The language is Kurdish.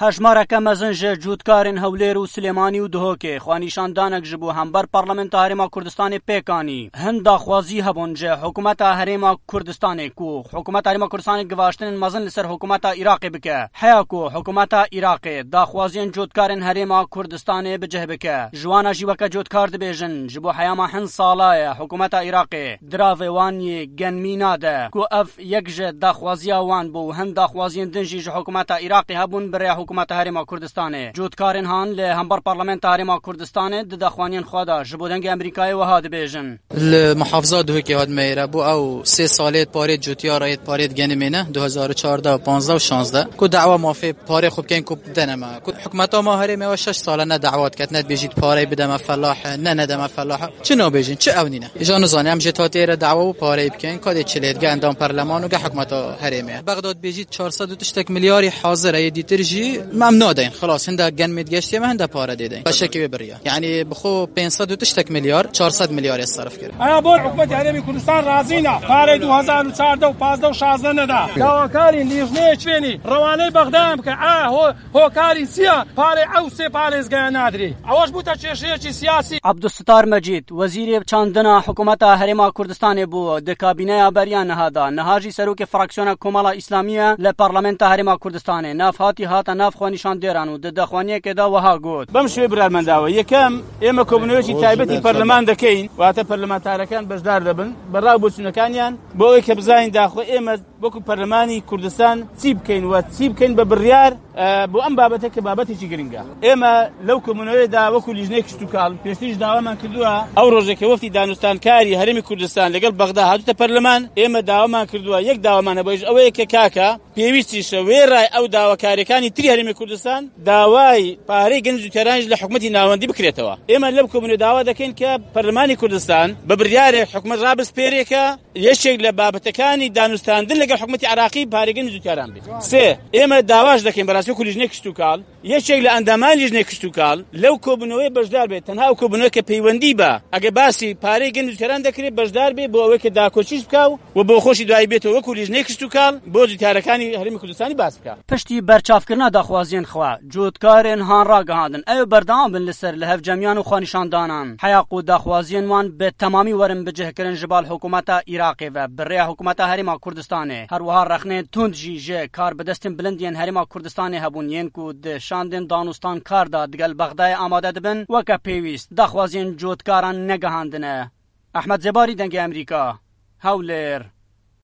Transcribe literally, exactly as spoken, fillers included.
Hejmareke mezin ji cotkarên Hewlêr û Silêmanî û Duhokê xwenîşandanek ji bo hember Parlamenta Herêma Kurdistanê pêk anî. Hin daxwazî hebûn ji Hikûmeta Herêma Kurdistanê ku Hikûmeta Herêma Kurdistanê givaştinên mezin li ser Hikûmeta Iraqê bike. Heya ku Hikûmeta Iraqê daxwaziyên cotkarên Herêma Kurdistanê bi cih bike, ji wana jî weke cotkar dibêjin, ji bo heyama hin sala ye Hikûmeta Iraqê diravê wan yê genmî nade, ku ev yek ji daxwaziya wan bû û hin daxwaziyên din jî ji Hikûmeta Iraqê hebûn bi rêya Hikûmeta Herêma Kurdistanê. Cotkarên han li hember Parlamenta Herêma Kurdistanê di daxwaniyên xwe de ji bo Dengê Amerîkayê wiha dibêjin. Li muhafiza Duhokê hatime êre bû ew sê salê parê cotiya re yê parê genimê ne, du hezar û çardeh, panzdeh û şazdeh, ku dawa mafê parê xwe bikein ku deneme. Ku hikûmeta ma herêmê we şeş sale ne dawa diket, ne dibêjît parey bideme felah, ne nedeme felah. Çi nabêjin, çi ewnîne? Îja nizane, em jê hatê êre dawa û parey bikein, ka dê çi lê dige endam perleman û ge hikûmeta herêmê. Bexdad bêjît çar sed û tiştek milyarî hazir e, yê dîtir jî em nadeyn. Xilas, hinde genmê digeştiye me, hinde pare dê deyn. Beşekî wê biriya. Yani bi xwe pênc sed û tiştek milyar, çar sed milyar ê serf kir. Aya bor hikûmetê Herêmê Kurdistan razî ne. Parê du hezar û çardeh û pazdeh û şazdeh neda. Dawakarî nîvnê çênî. Rewanê Bexda em ke a ho-, hokarî siya. Parê ew sê parêzgaya nadirî. Ewaş bûte kêşeyekî siyasî. Abdulsittar Mecîd, wezîrê çandina hikûmeta Herêma Kurdistanê bû di kabîneya beriya niha de. Niha jî serokê fraksiyona Komala Îslamî ye li Parlamenta Herêma Kurdistanê. Nav hatî hate nav xwenîşandêran û di daxwaniyekê de wiha got. بەم شێوەی برارمەنداوە. یەکەم، ئێمە کۆبوونەوەیەکی تایبەتی پەرلەمان دەکەین، واتە پەرلەمانتارەکان بەشدار دەبن، بەڕای بۆچوونەکانیان، بۆ ئەوەی کە بزانین داخۆ ئێمە وەکو پەرلەمانی کوردستان چی بکەین و چی بکەین بە بڕیار، ئە، بۆ ئەم بابەتە کە بابەتێکی گرنگە. ئێمە لەو کۆبوونەوەیەدا وەکو لیژنەی کشتوکاڵ پێشتریش داوامان کردووە، ئەو ڕۆژێک کە وەفتی دانوستانکاری هەرێمی کوردستان لەگەڵ بەغدا هاتوتە پەرلەمان، ئێمە داوامان کردووە، یەک داوامان هەبووە، ئەوەیە کە کاکە پێویستیشە وێڕای ئەو داواکاریەکانی تری هەرێمی کوردستان داوای پارەی گەنج و تێرانیش لە حکومەتی ناوەندی بکرێتەوە. ئێمە لەم کۆبوونە داوا دەکەین کە پەرلەمانی کوردستان بە بڕیارێک حکومەت ڕابسپێرێکە یەکێک لە بابەتەکانی دانوستاندن لەگەڵ حکومەتی عراقی پارەی گەنج و تێران بێت. سێ، ئێمە داواش دەکەین بەڕاستی وەکو لیژنەی کشتوکاڵ، یەکێک لە ئەندامانی لیژنەی کشتوکاڵ لەو کۆبوونەوەی بەشدار بێت، تەنها ئەو کۆبوونەوە کە پەیوەندی بە ئەگە باسی پارەی گەنج و تێران دەکرێت بەشدار بێت بۆ ئەوەی کە داکۆچیش بکا و بۆ خۆشی دوایی بێتەوە وەکو لیژنەی کشتوکاڵ بۆ جوتیارەکانی هەرێمی کوردستانی باس بکا. پشتی بەرچاوکردنا داخوازیên xwe، cotkarên han ragihandin ew berdewam bin li ser li hevcemiyan û xwenîşandanan. Heya ku daxwaziyên wan bi temamî werin bicihkirin ji bal hikûmeta Iraqê ve bi rêya hikûmeta Herêma Kurdistanê. Her wiha rexnên tund jî ji karbidestên bilind yên Herêma Kurdistanê hebûn yên ku di şandên danûstankar de digel Bexdayê amade dibin, weke pêwîst daxwaziyên cotkaran negihandine. Ehmed Zêbarî, Dengê Emerîka, Hewlêr.